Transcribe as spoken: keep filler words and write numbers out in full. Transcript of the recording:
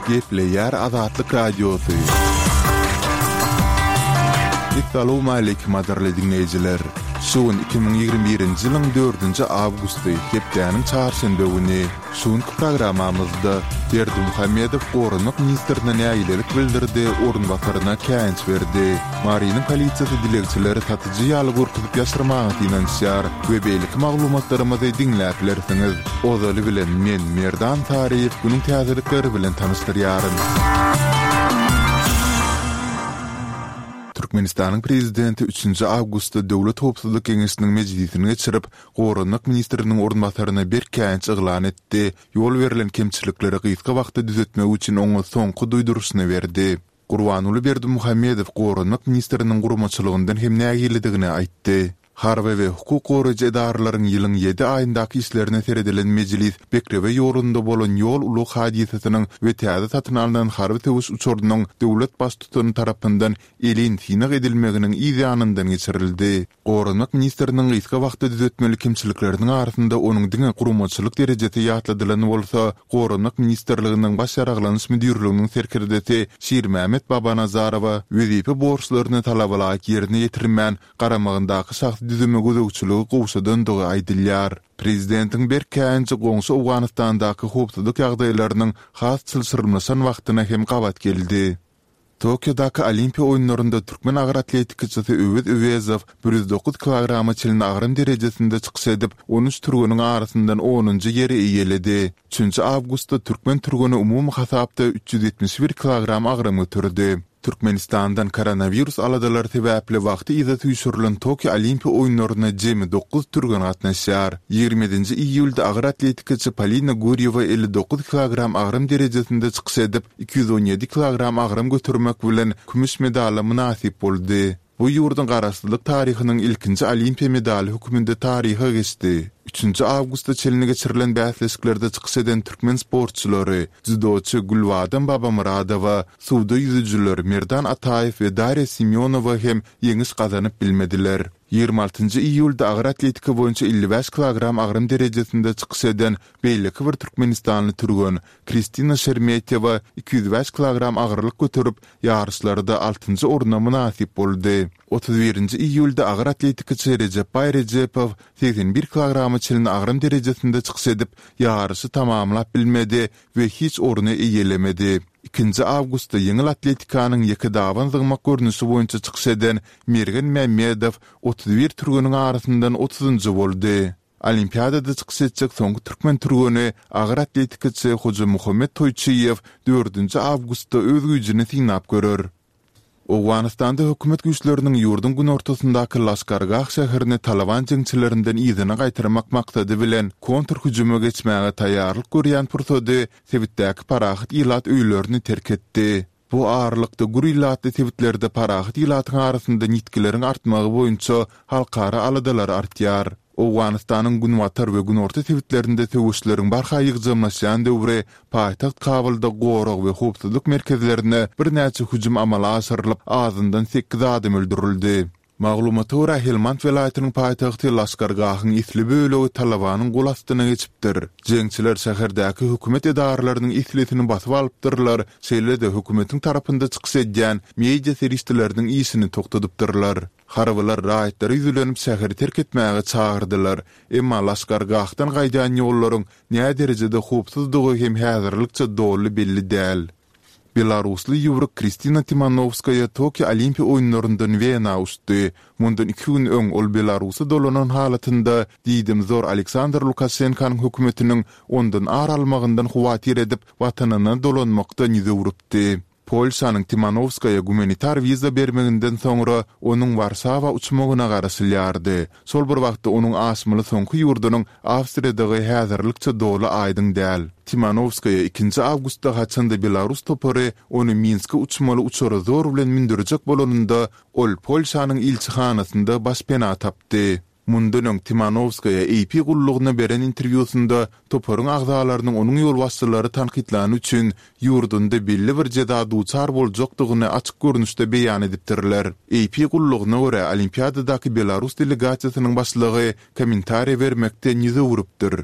Gepleýär Azatlyk Radiosy. Essalawmaleýkim gadyrly diňleýjiler! Şu gün iki müň ýigrimi birinji ýylyň dördünji awgusty, hepdäniň çarşenbe güni. Şu günki programmamyzda Berdimuhamedow goranmak ministrine nägilelik bildirdi, orunbasaryna käýinç berdi. Marynyň polisiýasy dilegçileri satyjy ýaly görkezip ýaşyrmaga synanyşýar we beýleki maglumatlarymyzy diňläp bilersiňiz. Ozaly bilen men, Merdan Saryýew günüň täzelikleri bilen tanyşdyrýaryn. Türkmenistanyň Prezidenti üçünji awgustda Döwlet howpsuzlyk geňeşiniň mejlisini geçirip, goranmak ministriniň orunbasaryna berk käýinç yglan etdi, ýol berlen kemçilikleri gysga wagtda düzetmek üçin oňa soňky duýduryşyny berdi. Gurbanguly Berdimuhamedow goranmak ministriniň guramaçylygyndan hem nägiledigini aýtdy. Harby we hukuk goraýjy edaralaryň ýylyň ýedi aýyndaky işlerine seredilen mejlis Bekrewe ýolunda bolan ýol-ulag hadysasynyň we täze satyn alnan harby söweş uçarynyň döwlet Baştutany tarapyndan elin synag edilmeginiň yz ýanyndan geçirildi. Goranmak ministriniň gysga wagtda düzetmeli kemçilikleriniň arasynda onuň diňe guramaçylyk derejesi ýatladylan bolsa, Goranmak ministrliginiň Baş ýaraglanyş müdirliginiň serkerdesi Şirmämmet Babanazarowa wezipe borçlaryny talabalaýyk ýerine ýetirmän, garamagyndaky şahsy düzüme gözegçiligi gowşadandygy aýdylýar. Prezidentiň berk käýinji goňşy Owganystandaky howpsuzlyk ýagdaýlarynyň has çylşyrymlaşan wagtyna hem gabat geldi. Tokiodaky Olimpiýa oýunlarynda türkmen agyr atletikaçysy Öwez Öwezow bir ýüz dokuz kilograma çenli agram derejesinde çykyş edip, on üç türgeniň arasyndan onunjy ýeri eýeledi. Üçünji awgustda türkmen türgeni umumy hasapda üç ýüz ýetmiş bir kilogram agram göterdi. Türkmenistandan koronawirus aladalary sebäpli wagty yza süýşürilen Tokio Olimpiýa oýunlaryna jemi dokuz türgen gatnaşýar. Ýigrimi ýedinji iýulda agyr atletikaçy Polina Gurýewa elli dokuz kilogram agram derejesinde çykyş edip, iki ýüz on ýedi kilogram agram götermek bilen, kümüş medala mynasyp boldy. Bu ýurduň garaşsyzlyk taryhynyň ilkinji olimpiýa medaly hökmünde taryha geçdi. Üçünji awgusta çenli geçirilen bäsleşiklerde çykyş eden türkmen sportçylary, dzýudoçy Gülbadam Babamyradowa, suwda ýüzüjiler Merdan Ataýew we Darýa Semýonowa hem ýeňiş gazanyp bilmediler. Ýigrimi altynjy iýulda agyr atletika boýunça elli bäş kilogram agram derejesinde çykyş eden beýleki bir türkmenistanly türgen Kristina Şermetýewa iki ýüz bäş kilogram agyrlyk göterip, ýaryşlarda altynjy orna mynasyp boldy. Otuz birinji iýulda agyr atletikaçy Rejepbaý Rejepow segsen bir kilograma çenli agram derejesinde çykyş edip, ýaryşy tamamlap bilmedi we hiç orny eýelemedi. Ikinji awgustda ýeňil atletikanyň ýekedaban zyňmak görnüşi boýunça çykyş eden Mergen Mämmedow otuz bir türgeniň arasyndan otuzynjy boldy. Olimpiadada çykyş etjek soňky türkmen türgeni, agyr atletikaçy Hojamuhammet Toýçyýew dördünji awgustda öz güýjüni synap görer. Owganystanda hökümet güýçleriniň ýurduň günortasyndaky Laşkargah şäherini Talyban jeňçilerinden yzyna gaýtarmak maksady bilen kontrhüjüme geçmäge taýýarlyk görýän pursady sebitdäki parahat ilat öýlerini terk etdi. Bu aralykda gür ilatly sebitlerde parahat ilatyň arasynda ýitgileriň artmagy boýunça halkara aladalar artýar. Owganystanyň günbatar we günorta sebitlerinde söweşleriň barha ýygjamlaşýan döwri paýtagt Kabulda gorag we howpsuzlyk merkezlerine birnäçe hüjüm amala aşyrylyp, azyndan sekiz adam öldürildi. Maglumata görä, Helmand welaýatynyň paýtagty Laşkargahyň esli bölegi Talybanyň gol astyna geçipdir. Jeňçiler şäherdäki hökümet edaralarynyň eslisini basyp alypdyrlar, şeýle-de hökümetiň tarapynda çykyş edýän media serişdeleriniň işini togtadypdyrlar. Harbylar raýatlara ýüzlenip şäheri terk etmäge çagyrdylar, emma Laşkargahdan gaýdýan ýollaryň näderejede howpsuzdygy hem häzirlikçe doly belli däl. Belarusly ýüwrük Kristina Timanowskaýa Tokio Olimpiýa oýunlaryndan Wena uçdy. Mundan iki gün öň ol Belarusa dolanan halatynda diýdimzor Aleksandr Lukaşenkanyň hökümetiniň ondan ar almagyndan howatyr edip, watanyna dolanmakdan ýüz öwrüpdi. Polşanyň Timanowskaýa gumanitar wiza bermeginden soňra onuň Warşawa uçmagyna garaşylýardy. Şol bir wagtda onuň aşmaly soňky ýurdunyň Awstriýadygy häzirlikçe doly aýdyň däl. Timanowskaýa ikinji awgustda haçanda belarus topary ony Minske uçmaly uçara zor bilen mündürjek bolanynda ol Polşanyň ilçihanasynda başpena tapdy. Mundan öň Timanowskaýa A P gullugyna beren interwýusynda toparyň agzalarynyň onuň ýolbaşçylary tankytlany üçin ýurdunda belli bir jeza duçar boljakdygyny açyk görnüşde beýan edipdirler. A P gullugyna görä, Olimpiadadaky belarus delegasiýasynyň başlygy kommentariýa bermekden ýüz öwrüpdir.